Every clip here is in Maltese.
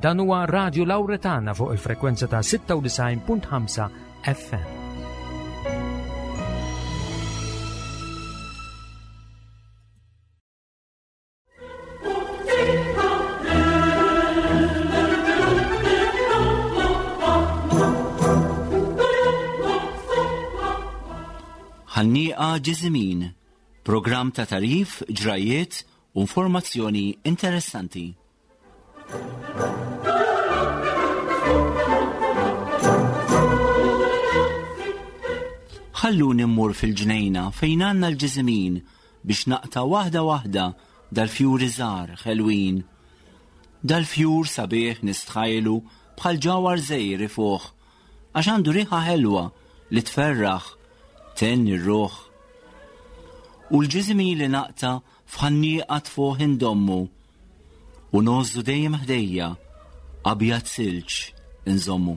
Dan huwa Radio Lauretana fuq il-frekwenza ta' 96.5 FM. Ħannieqa Ġiżimin, programm ta' tarif, ġrajiet u informazzjoni interessanti. Ħalluni mmur fil-ġnejna fejn għandna l-ġiżimin biex naqta' waħda waħda dal-fjuri żgħar ħelwin. Dal-fjur sabiħ nistħajlu bħal ġawhar żgħir ifuħ għax għandu riħa ħelwa li tferraħ, thenni r-ruħ. U l-ġiżimin li naqta' F'ħannieqa tfuħ indommu u ngħożżu dejjem ħdejja abjad silġ inżommu.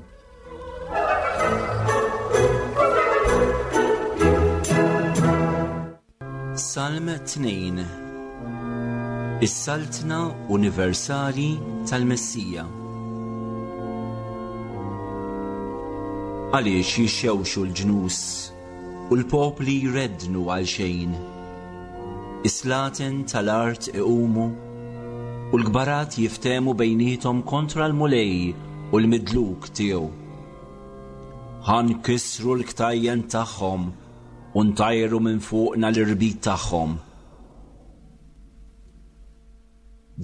Salm 2 Is-Saltna Universali tal-Messija Għaliex jixxewxu l-ġnus U l-popli jreddnu għal xejn. Is-slaten tal-art iqumu, u l-kbarat jiftehmu bejniethom kontra l-Mulej u l-midluk tiegħu. Ħa nkissru l-ktajjen tagħhom u ntajru minn fuqna l-irbit tagħhom.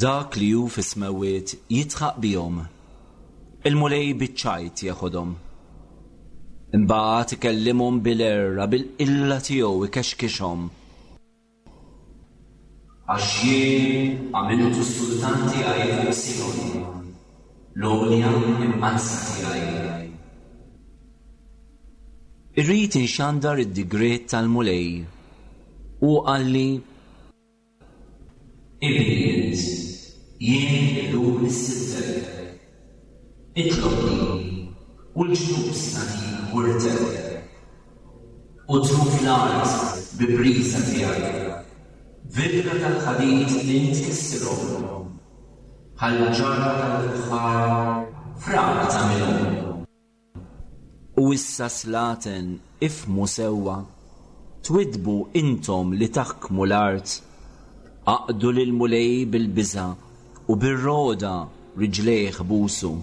Dak li hu fis-smewwiet jidħaq bihom. Il-Mulej biċ-ċajt jeħodhom. Imbagħad ikellimhom bil-għerra, bil-qilla tiegħu ikexkixhom. Għax jien għamiltu s-sultan tiegħi fuq Sijon, l-għolja imqaddsa tiegħi. Irrid inxandar id-digriet tal-Mulej. Hu qalli, Ibni int, jien illum nissiltek. Itlobni, u l-ġnus nagħtik wirtek, u truf l-art bi priża tiegħi. B'virga tal-ħadid int tkissirhom, bħal ġarra tal-fuħħar frak tagħmilhom. U issa slaten, ifhmu sewwa, twiddbu intom li taħkmu l-art. Aqdu lill-Mulej bil-biża' u bir-rogħda riġlejh busu,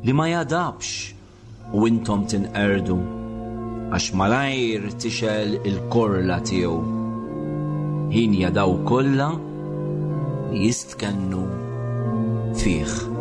li ma jagħdabx u intom tinqerdu, għax malajr tixgħel il-korla tiegħu. Hienja dawk kollha li jistkennu fih.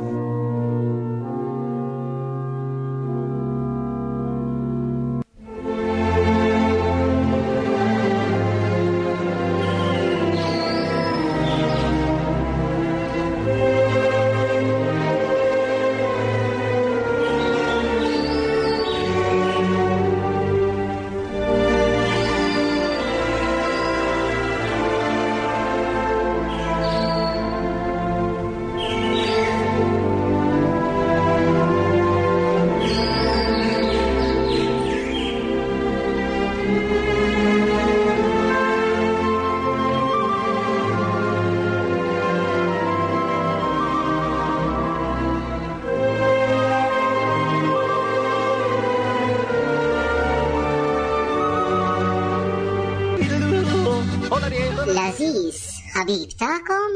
L-għażiż ħabib tagħkom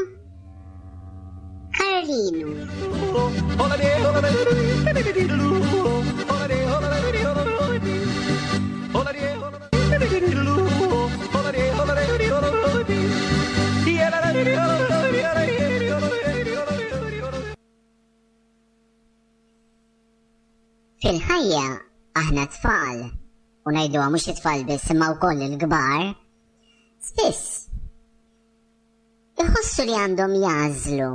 Karlinu. Fil-ħajja aħna tfal, u ngħiduha mhux it-tfal biss imma wkoll il-kbar, spiss iħossu li għandhom jagħżlu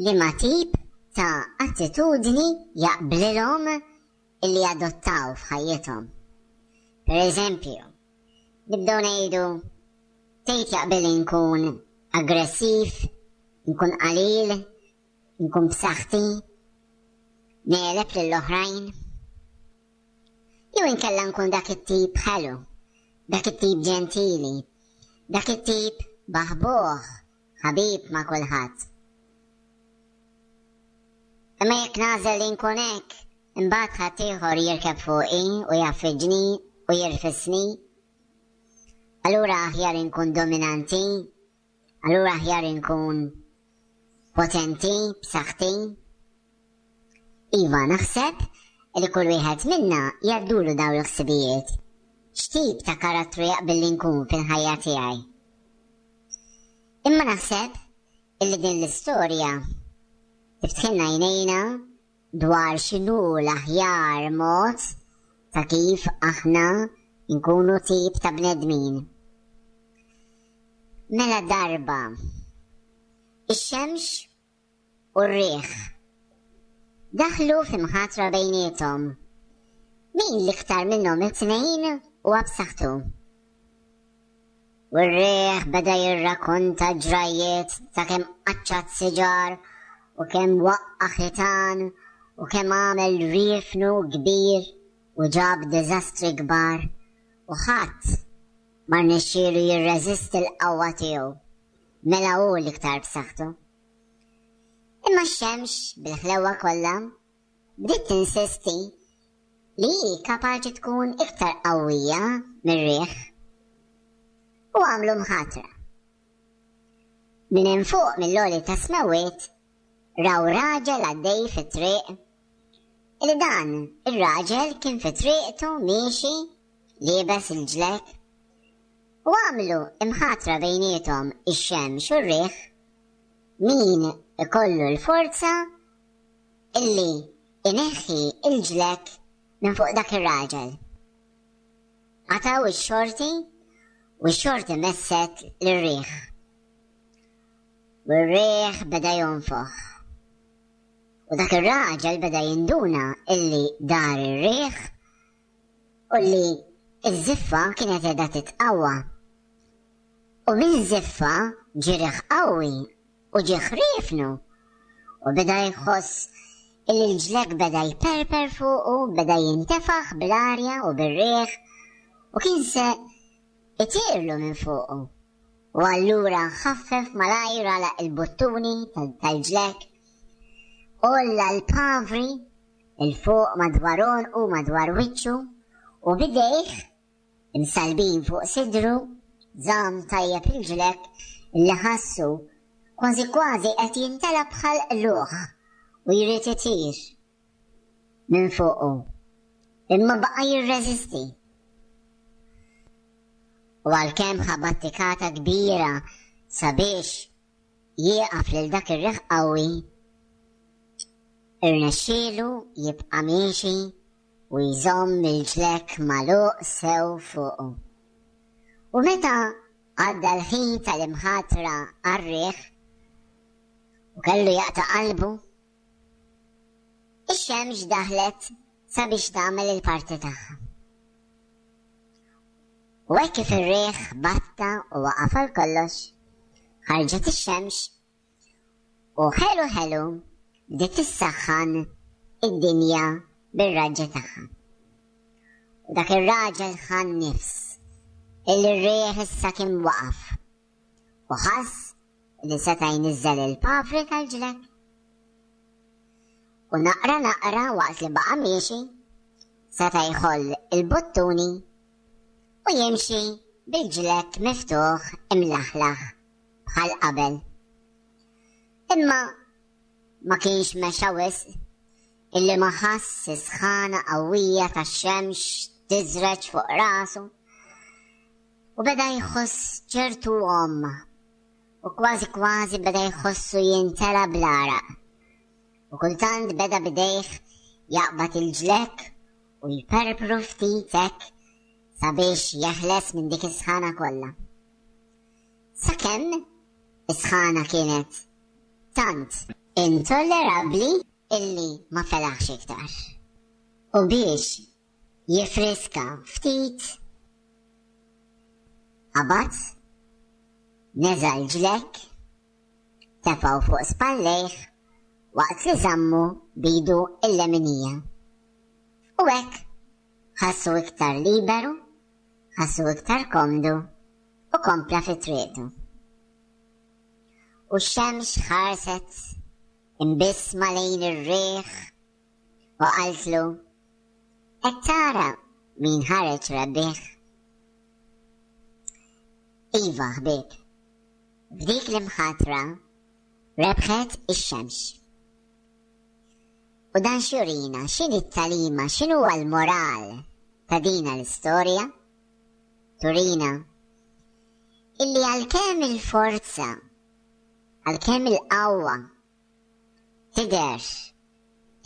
liema tip ta' attitudni jaqblilhom illi jadottaw f'ħajjithom. Per eżempju, nibdew ngħidu tgħid jaqbilli nkun aggressiv, nkun qalil, nkun b'saħħti, negħleb lill-oħrajn. Jew inkella nkun dak it-tip ħelu, dak it-tip ġentili, dak it-tip baħbuħ, ħabib ma' kulħadd. Imma jekk nagħżel li nkun hekk, imbagħad ħaddieħor jirkeb fuqi u jgħaffiġni u jirfisni. Allura aħjar inkun dominanti, allura aħjar inkun potenti, b'saħħti. Iva, naħseb li kull wieħed minna jgħaddulu dawn il-ħsibijiet. X'tip ta' karattru jaqbilli nkun fil-ħajja tiegħi? Imma naħseb illi din l-istorja tiftħilna għajnejna dwar x'inhu l-aħjar mod ta' kif aħna nkunu tip ta' bnedmin. Mela darba, ix-xemx u r-riħ daħlu fi mħatra bejniethom. Min l-iktar minnhom it-tnejn huwa b'saħħtu? U r-riħ beda jirrakonta ġrajjiet ta' kemm qaċċat siġar u kemm waqqa' ħitan u kemm għamel riefnu kbir u ġab diżastri kbar u ħadd ma rnexxielu jirreżisti l-qawwa tiegħu. Mela hu l-iktar b'saħħtu. Imma x-xemx bil-ħlewwa kollha bdiet tinsisti li hi kapaċi tkun iktar qawwija mir-riħ. U għamlu mħatra. Minn hemm fuq mill-għoli tas-smewwiet raw raġel għaddej fit-triq li dan ir-raġel kien fi triqtu miexi liebes il-ġlek u għamlu imħatra bejniethom ix-xemx u r-riħ min ikollu l-forza illi ineħħi l-ġlekk minn fuq dak ir-raġel. Qatgħu x-xorti u x-xorti messet lir-riħ. U r-riħ beda jonfoħ. U dak ir-raġel beda jinduna illi dar ir-riħ u li ż-żiffa kienet qiegħda titqawwa. U minn żiffa ġie riħ qawwi u ġie ħriefnu u beda jħoss illi l-ġlekk beda jperper fuqu, beda jintefaħ bl-arja u bir-riħ u kien se itirlu minn fuqu. U allura ħaffef malajr għalaq il-buttuni tal-ġlekk, għolla l-pavri 'il fuq madwar għonqu madwar wiċċu u b'idejh Imsallbin fuq sidru, żamm tajjeb il-ġlekk li ħassu kważi kważi qed jimtela bħal qlugħ u jrid itir minn fuqu. Imma baqa' jirreżisti. U għalkemm ħa battikata kbira sabiex jieqaf lil dak ir-riħ qawwi, irnexxielu jibqa' miexi u jżomm il-ġlekk magħluq sew fuqu. U meta għadda l-ħin tal-imħatra għar-riħ u kellu jaqta' qalbu, ix-xemx daħlet sabiex tagħmel il-parti tagħha. U hekk kif ir-riħ batta u waqaf għal kollox, ħarġet ix-xemx U ħelu ħelu bdiet issaħħan id-dinja bir-raġġi tagħha. U dak ir-raġel ħa n-nifs illi r-riħ issa kien waqaf u ħass li seta' jniżżel il-pavri tal-ġlekk. U naqra naqra waqt li baqa' miexi seta' jħoll il-buttuni u jimxi bil-ġlekk miftuħ imlaħlaħ bħal qabel. Imma ma kienx mexa wisq illi ma ħass is-sħana qawwija tax-xemx tiżreġ fuq rasu u beda jħoss ċertu għomma u kważi kważi beda jħossu jintela bl-għaraq. U kultant beda bidejh jaqbad il-ġlekk u jperpru ftit hekk sabiex jeħles minn dik is-sħana kollha. Sakemm is-sħana kienet tant intollerabbli illi ma felaħx iktar. U biex jiffriska ftit, qabad, neża' l-ġlekk, tefgħu fuq spallejh waqt li żammu b'idu l-leminija. U hekk ħassu iktar liberu, ħassu iktar komdu u kompla fi triqtu. U x-xemx ħarset Imbissma lejn ir-riħ u qaltlu, Qed tara min ħareġ rebbieħ? Iva, ħbieb, f'dik l-imħatra rebħet ix-xemx. U dan x'jurina, x'inhi t-tagħlima, x'inhuwa l-moral ta' dina l-istorja? Turina illi għalkemm il-forza, għalkemm il-qawwa tidher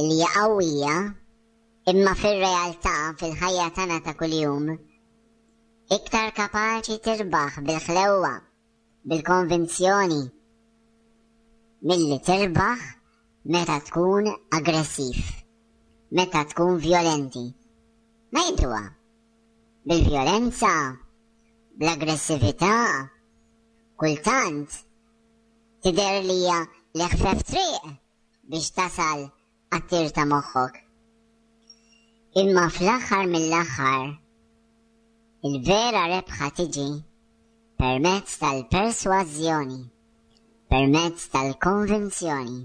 illi hija qawwija, imma fir-realtà fil-ħajja tagħna ta' kuljum iktar kapaċi tirbaħ bil-ħlewwa, bil-konvinzjoni, milli tirbaħ meta tkun aggressiv, meta tkun vjolenti. Ngħiduha, bil-vjolenza, bl-aggressività, kultant tidher li hija l-eħfef triq biex tasal għat-tir ta' moħħok. Imma fl-aħħar mill-aħħar, il-vera rebħa tiġi permezz tal-persważjoni, permezz tal-konvinzjoni.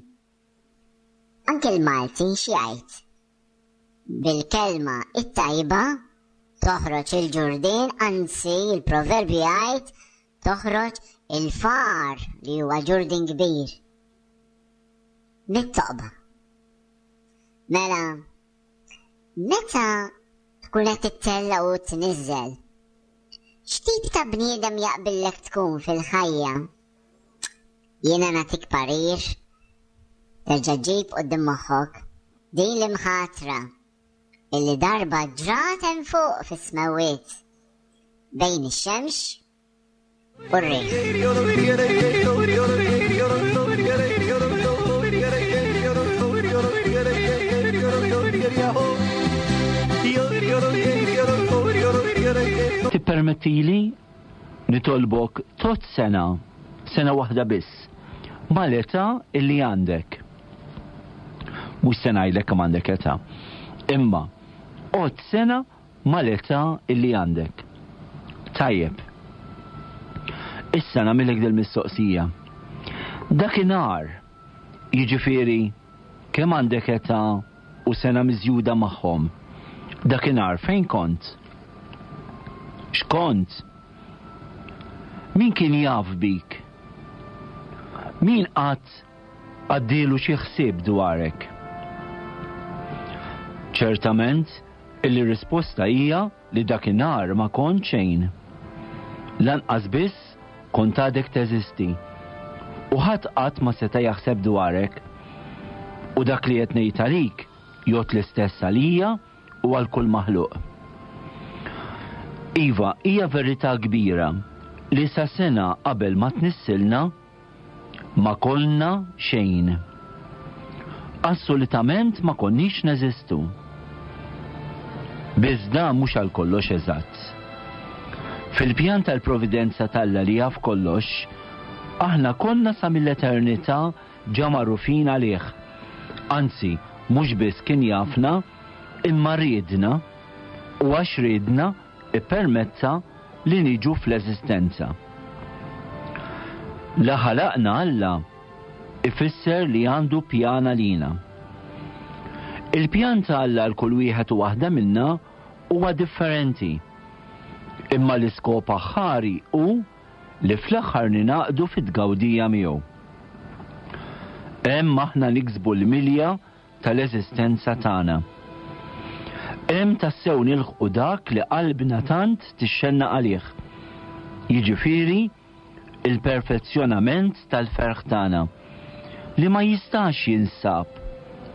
Anke l-Malti x'jgħid? Bil-kelma it-tajba toħroġ il-ġurdien, anzi il-proverbju jgħid toħroġ il-far li huwa ġurdien kbir. Mit-toqba. Mela, meta tkun qed tittella' u tniżżel, x'tip ta' bniedem jaqbillek tkun fil-ħajja? Jiena nagħtik parir, terġa' ġib quddiem moħħok din l-imħatra illi darba ġrat hemm fuq fis-smewwiet bejn ix-xemx u r-riħ. Tippermettili nitolbok tot sena, sena waħda biss, mal-età illi għandek. Mhux se ngħidlek kemm għandek età. Imma għodd sena mal-età illi għandek. Tajjeb. Issa nagħmilek dil-mistoqsija. Dakinhar, jiġifieri kemm għandek età u sena miżjuda magħhom, dakinhar fejn kont? X'kont? Min kien jaf bik? Min qatt għaddielu xi ħsieb dwarek? Ċertament illi r-risposta hija li dakinhar ma kont xejn. Lanqas biss kont għadek teżisti. U ħadd qatt ma seta' jaħseb dwarek. U dak li qed ngħid għalik jgħodd l-istess għalija u għal kull maħluq. Iva, hija verità kbira li sa sena qabel ma tnissilna, Ma konna xejn. Assolutament ma konniex neżistu. Biss dan mhux għal kollox eżatt. Fil-pjan tal-providenza t'Alla li jaf kollox, aħna konna sa mill-eternità ġa magħrufin għalih. Anzi, mhux biss kien jafna, imma riedna, u għax riedna, ippermetta li niġu fl-eżistenza. La ħalaqna Alla ifisser li għandu pjan għalina. Il-pjan ta' Alla għal kull wieħed u waħda minna huwa differenti. Imma l-iskop aħħari hu li fl-aħħar ningħaqdu fit-tgawdija miegħu. Hemm aħna niksbu l-milja tal-eżistenza tagħna. Hemm tassew nilħqu dak li qalbna tant tixxennaq għalih, jiġifieri l-perfezzjonament tal-ferħ tagħna, li ma jistax jinsab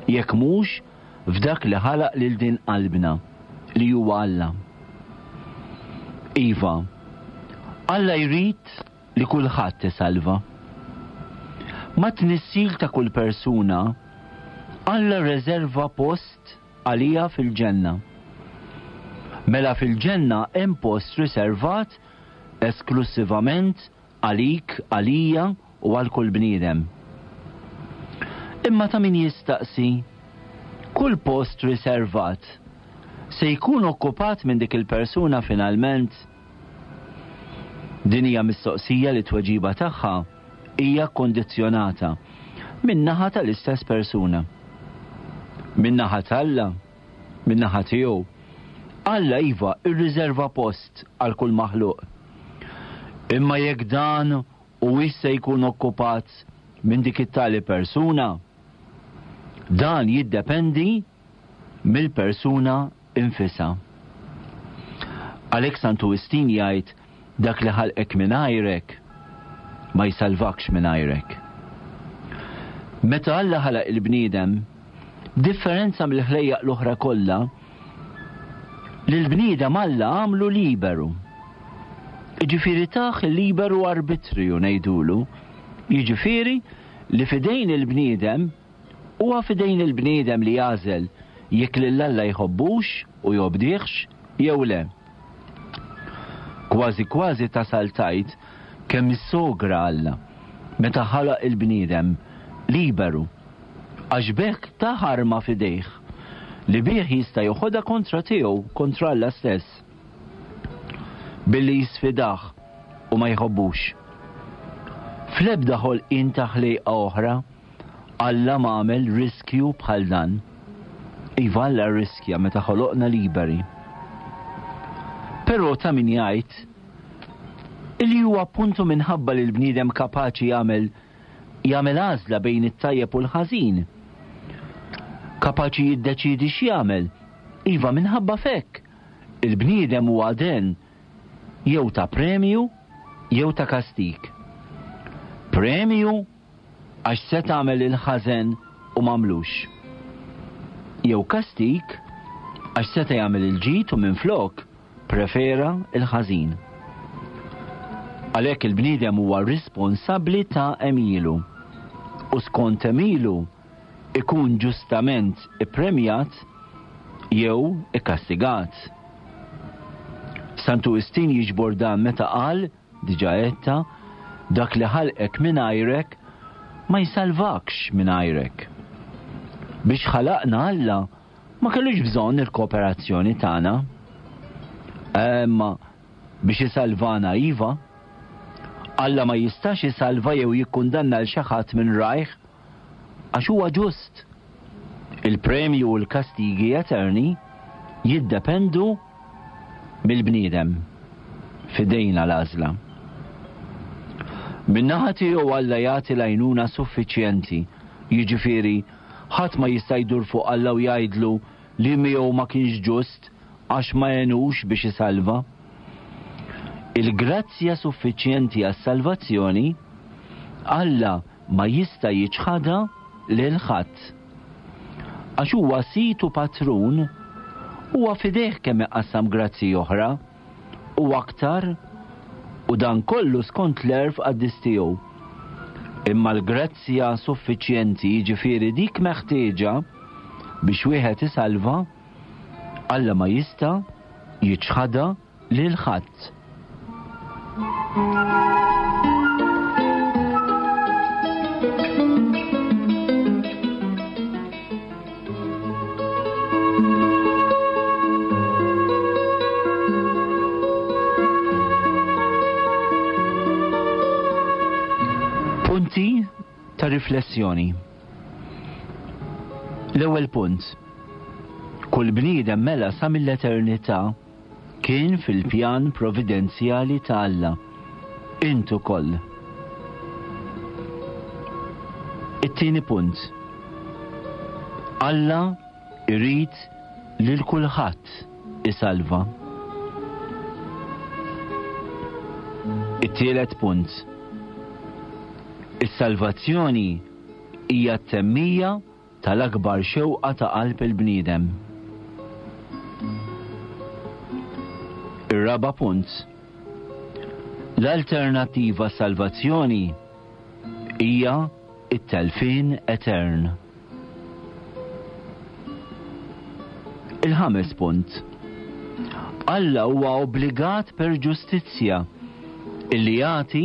jekk mhux f'dak li ħalaq lil din qalbna, li huwa Alla. Iva, Alla jrid li kulħadd isalva. Mat-tnissil ta' kull persuna, Alla rreserva post għaliha fil-ġenna. Mela fil-ġenna hemm post riservat esklussivament għalik, għalija u għal kull bniedem. Imma ta' min jistaqsi, kull post riservat se jkun okkupat minn dik il-persuna finalment? Din hija mistoqsija li t-tweġiba tagħha hija kkundizzjonata. min-naħa tal-istess persuna. Min-naħa t'Alla, min-naħa tiegħu, Alla iva rriżerva post għal kull maħluq. Imma jekk dan huwiex se jkun okkupat minn dik it-tali persuna, dan jiddependi mill-persuna nfisha. Għalhekk Santu Wistin jgħid dak li ħalqek mingħajrek ma jsalvakx mingħajrek. Meta Alla ħalaq il-bniedem, b'differenza mill-ħlejjaq l-oħra kollha, lill-bniedem Alla għamlu liberu. Jiġifieri tah il-liberu arbitriju ngħidulu, jiġifieri li f'idejn il-bniedem Huwa f'idejn il-bniedem li jagħżel jekk lil Alla jħobbux u jobdihx jew le. Kważi kważi tasal tgħid kemm issogra Alla meta ħalaq il-bniedem liberu għax b'hekk tah arma f'idejh li bih jista' joħodha kontra tiegħu, kontra Alla stess. Billi jisfidah u ma jħobbux. Fl-ebda ħolqien ta' ħlejqa oħra Alla m'għamel riskju bħal dan. Iva Alla rriskja meta ħoloqna liberi. Però ta' min jgħid illi huwa appuntu minħabba li l-bniedem kapaċi jagħmel jagħmel għażla bejn it-tajjeb u l-ħażin. Kapaċi jiddeċiedi x'jagħmel. Iva minħabba f'hekk il-bniedem huwa den jew ta' premju jew ta' kastig. Premju għax seta' għamel il-ħażen u m'għamlux. Jew kastig għax seta' jagħmel il-ġid u minflok prefera l-ħażin. Għalhekk il-bniedem huwa risponsabbli ta' għemilu u skont għemilu ikun ġustament ippremjat jew ikkastigat. Santu Wistin jiġbor dan meta qal Diġà għedtha, dak li ħalqek mingħajrek ma jsalvakx mingħajrek. Biex ħalaqna Alla ma kellux bżonn il-kooperazzjoni tagħna. Imma biex isalvana iva. Alla ma jistax isalva jew jikkundanna 'l xi ħadd minn rajh għax huwa ġust. Il-premju u l-kastigi eterni jiddependu mill-bniedem. F'idejna l-għażla. Min-naħa tiegħu Alla jagħti l-għajnuna suffiċjenti, jiġifieri, ħadd ma jista' jdur fuq Alla u jgħidlu li miegħu ma kienx ġust għax ma għenux biex isalva. Il-grazzja suffiċjenti għas-salvazzjoni Alla ma jista' jiċħadha lil ħadd. Għax huwa sid u patrun, huwa f'idejh kemm iqassam grazzji oħra, u aktar, u dan kollu skont l-għerf qaddis tiegħu. Imma l-grazzja suffiċjenti, jiġifieri dik meħtieġa biex wieħed isalva, Alla ma jista' jiċħadha lil ħadd. Punti ta' riflessjoni. L-ewwel punt. Kull bniedem mela sa mill-eternità Kien fil-pjan providenzjali ta' Alla. Int ukoll. It-tieni punt. Alla jrid lil kulħadd isalva. It-tielet punt. Is-salvazzjoni hija t-temmija tal-akbar xewqa ta' qalb il-bniedem. Ir-raba' punt. L-alternattiva għas-salvazzjoni hija t-telfien etern. Il-ħames punt. Alla huwa obbligat per ġustizzja illi jagħti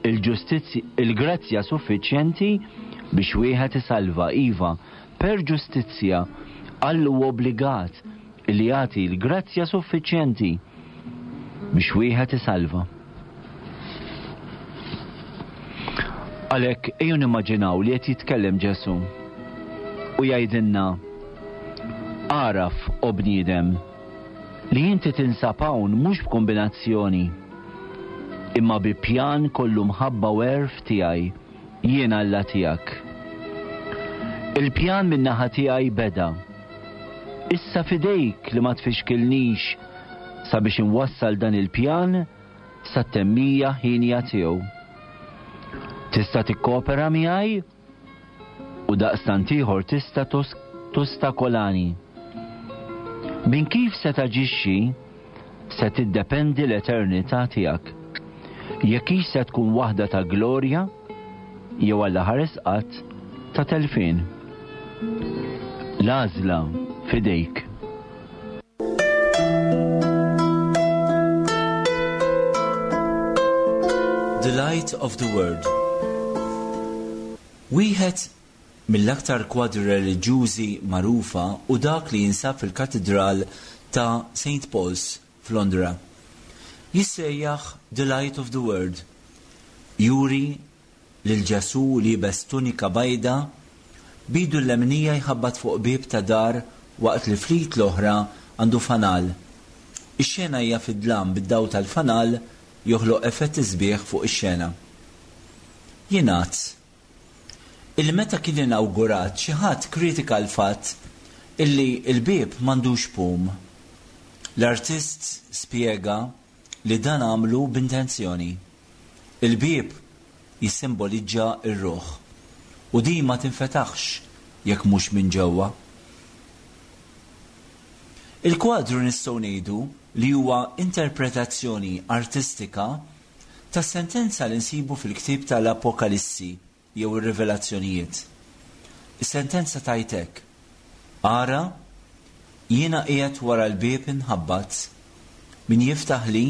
il-ġustizzja, il-grazzja suffiċjenti biex wieħed isalva, iva, per ġustizzja, Alla huwa obbligat li jagħti l-grazzja suffiċjenti biex wieħed isalva. Għalhekk ejjew nimmaġinaw li qed jitkellem Ġesù u jgħidilna, Agħraf, o bniedem, li inti tinsab hawn mhux b'kumbinazzjoni, imma bi pjan kollu mħabba u għerf tiegħi, jien Alla tiegħek. Il-pjan min-naħa tiegħi beda. Issa f'idejk li ma tfixkilnix sabiex inwassal dan il-pjan sat-temmija hienja tiegħu. Tista' tikkopera miegħi u daqstant ieħor tista' tostakolani. Minn kif se taġixxi se tiddependi l-eternità tiegħek. Jekk hix se tkun waħda ta' glorja jew Alla ħares qatt ta' telfien. L-għażla f'idejk. The Light of the World Wieħed mill-aktar kwadri reliġjużi magħrufa hu dak li jinsab fil-Katidral ta' St. Paul's f'Londra. Jissejjaħ The Light of the World. Juri lil Ġesù liebes tunika bajda, b'idu l-leminija jħabbat fuq bieb ta' dar waqt li fl-id l-oħra għandu fanal. Ix-xena hija fid-dlam bid-dawl tal-fanal joħloq effetti sbieħ fuq ix-xena. Jingħad illi meta kien inawgurat xi ħadd kritika l-fatt illi l-bieb m'għandux pum. L-artist spjega li dan għamlu b'intenzjoni. Il-bieb jissimbolizza r-ruħ, u din ma tinfetaħx jekk mhux minn ġewwa. Il-kwadru nistgħu ngħidu li huwa interpretazzjoni artistika tas-sentenza li nsibu fil-ktieb tal-Apokalissi jew ir-Rivelazzjonijiet. Is-sentenza tgħid hekk, Ara, jiena qiegħed wara l-bieb inħabbat, min jiftaħli,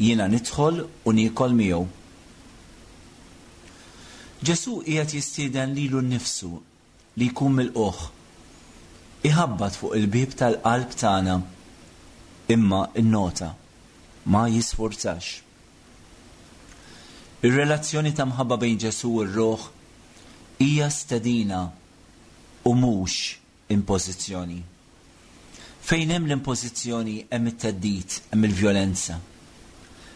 jiena nidħol u niekol miegħu. Ġesù qiegħed jistieden lilu nnifsu li jkun milqugħ. Iħabbat fuq il-bieb tal-qalb tagħna, imma innota, ma jisfurzax. Ir-relazzjoni ta' mħabba bejn Ġesù u r-ruħ hija stedina u mhux impożizzjoni. Fejn hemm l-impożizzjoni hemm it-theddid, hemm il-vjolenza.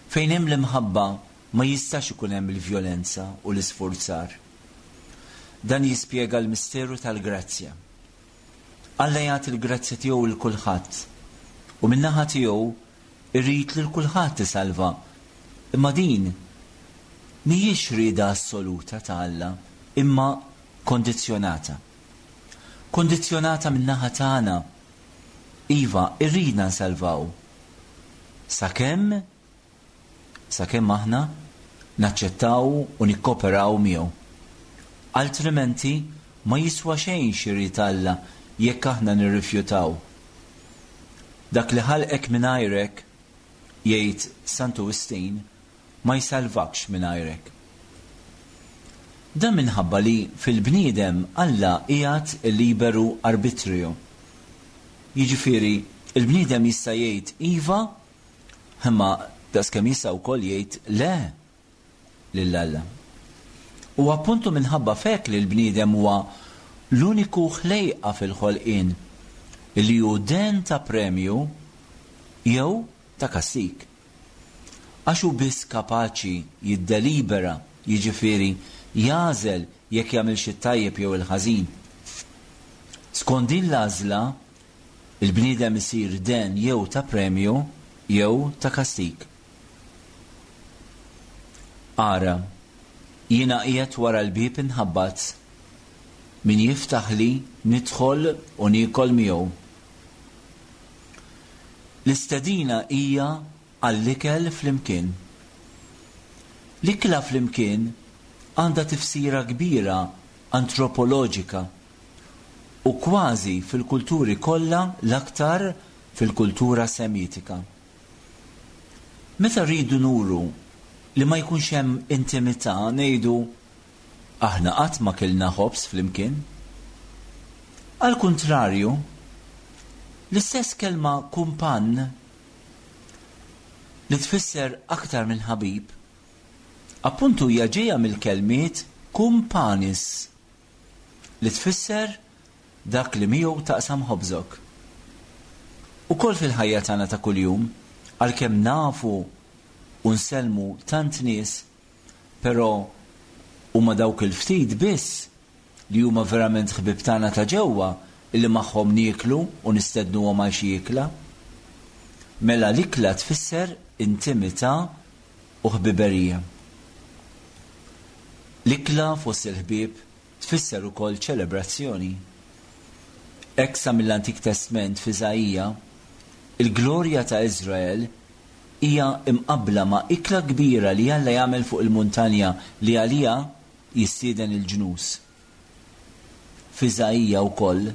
Fejn hemm l-imħabba ma jistax ikun hemm il-vjolenza u l-isfurzar. Dan jispjega l-misteru tal-grazzja. Alla jagħti l-grazzja tiegħu 'l kulħadd u min-naħa tiegħu Irid lil kulħadd isalva. Imma din mhijiex rieda assoluta ta' Alla, imma kondizzjonata. Kondizzjonata min-naħa tagħna. Iva, irridna nsalvaw. Sakemm, sakemm aħna naċċettaw u nikkoperaw miegħu. Altrimenti ma jiswa xejn x'irid Alla jekk aħna nirrifjutaw. Dak li ħalqek mingħajrek, jgħid Santu Wistin, ma jsalvakx mingħajrek. Dan minħabba li fil-bniedem Alla qiegħed il-liberu arbitrio. Jiġifieri, il-bniedem jista' jgħid iva, imma daqskemm jista' wkoll jgħid le. lil Alla. U appuntu minħabba f'hekk li l-bniedem huwa l-uniku ħlejqa fil-ħolqien li hu den ta' premju jew ta' kastig. Għax hu biss kapaċi jiddelibera, jiġifieri jagħżel jekk jagħmilx it-tajjeb jew il-ħażin. Skont din l-għażla, il-bniedem isir den jew ta' premju jew ta' kastig. Ara, jiena qiegħed wara l-bieb inħabbat, min jiftaħli nidħol u niekol miegħu. L-istedina hija għall-ikel flimkien. L-ikla flimkien għandha tifsira kbira antropoloġika u kważi fil-kulturi kollha l-aktar fil-kultura Semitika. Meta rridu nuru li ma jkunx hemm intimità ngħidu, Aħna qatt ma kilna ħobż flimkien. Għall-kuntrarju, l-istess kelma kumpann, li tfisser aktar minn ħabib, appuntu hija ġejja mill-kelmiet. cum panis, li tfisser dak li miegħu taqsam ħobżok. Ukoll fil-ħajja tagħna ta' kuljum, għalkemm nafu u nsellmu tant nies, però huma dawk il-ftit biss li huma verament ħbieb tagħna ta' ġewwa illi magħhom nieklu u nistednuhom għal xi ikla. Mela l-ikla tfisser intimità u ħbiberija. L-ikla fost il-ħbieb tfisser ukoll ċelebrazzjoni. Hekk sa mill-Antik Testment f'Iżaija, il-glorja ta' Iżrael hija mqabbla ma' ikla kbira li Alla jagħmel fuq il-muntanja li għaliha jistieden il-ġnus. F'Iżaija wkoll,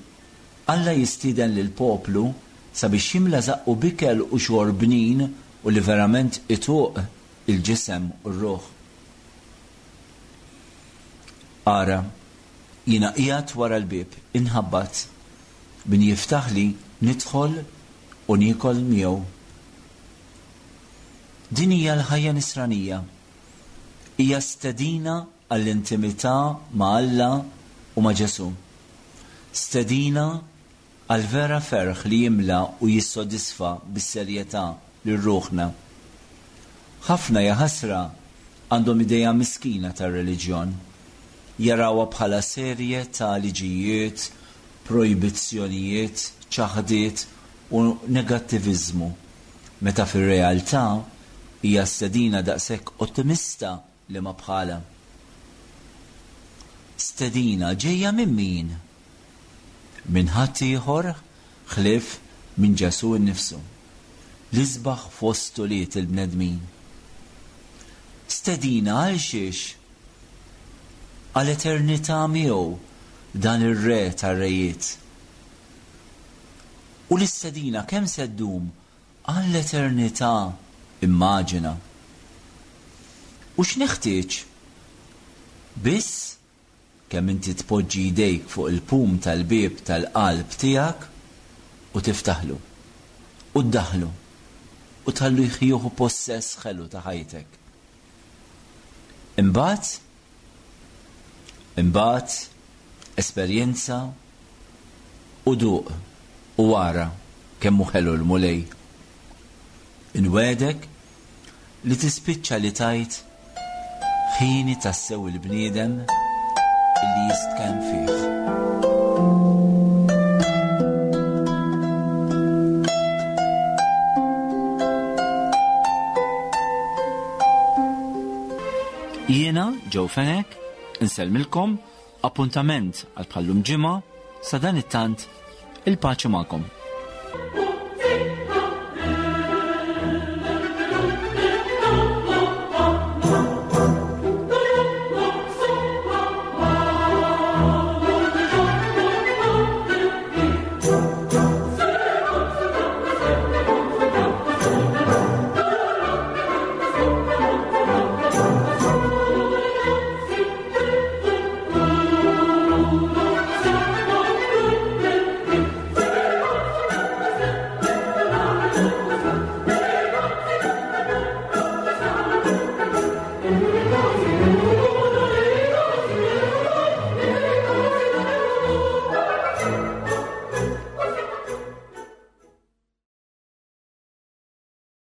Alla jistieden lill-poplu sabiex jimla żaqqu b'ikel u xorb bnin u li verament ituq il-ġisem u r-ruħ. Ara, jiena qiegħed wara l-bieb, inħabbat, min jiftaħli nidħol u niekol miegħu. Din hija l-ħajja nisranija. Hija stedina għall-intimità ma' Alla u ma' Ġesù. Stedina għall-vera ferħ li jimla u jissodisfa bis-serjetà lil ruħna. Ħafna, jaħasra, għandhom idea miskina tar-reliġjon. Jarawha bħala serje ta' liġijiet, projbizzjonijiet, ċaħdiet u negattiviżmu, meta fir-realtà hija stedina daqshekk ottimista li ma bħalha. Stedina ġejja minn min? Minn ħadd ieħor ħlief minn Ġesù nnifsu, l-isbaħ fost ulied il-bnedmin. Stedina għal xiex? Għal eternità miegħu, dan ir-Re tar-rejiet. U l-istedina kemm se ddum? Għall-eternità, immaġina. U x'neħtieġ? Biss kemm inti tpoġġi jdejk fuq il-pum tal-bieb tal-qalb tiegħek u tiftaħlu. U ddaħħlu. U tħallu jieħu possess ħelu ta' ħajtek. Imbagħad, imbagħad, esperjenza u duq u ara kemm hu ħelu l-Mulej. Inwegħdek li tispiċċa li tgħid, Ħieni tassew il-bniedem illi jistkenn fih. Jiena, Joe Fenech, insellmilkom Appuntament għal bħal-lum ġimgħa, sadanittant, il-paċi magħkom.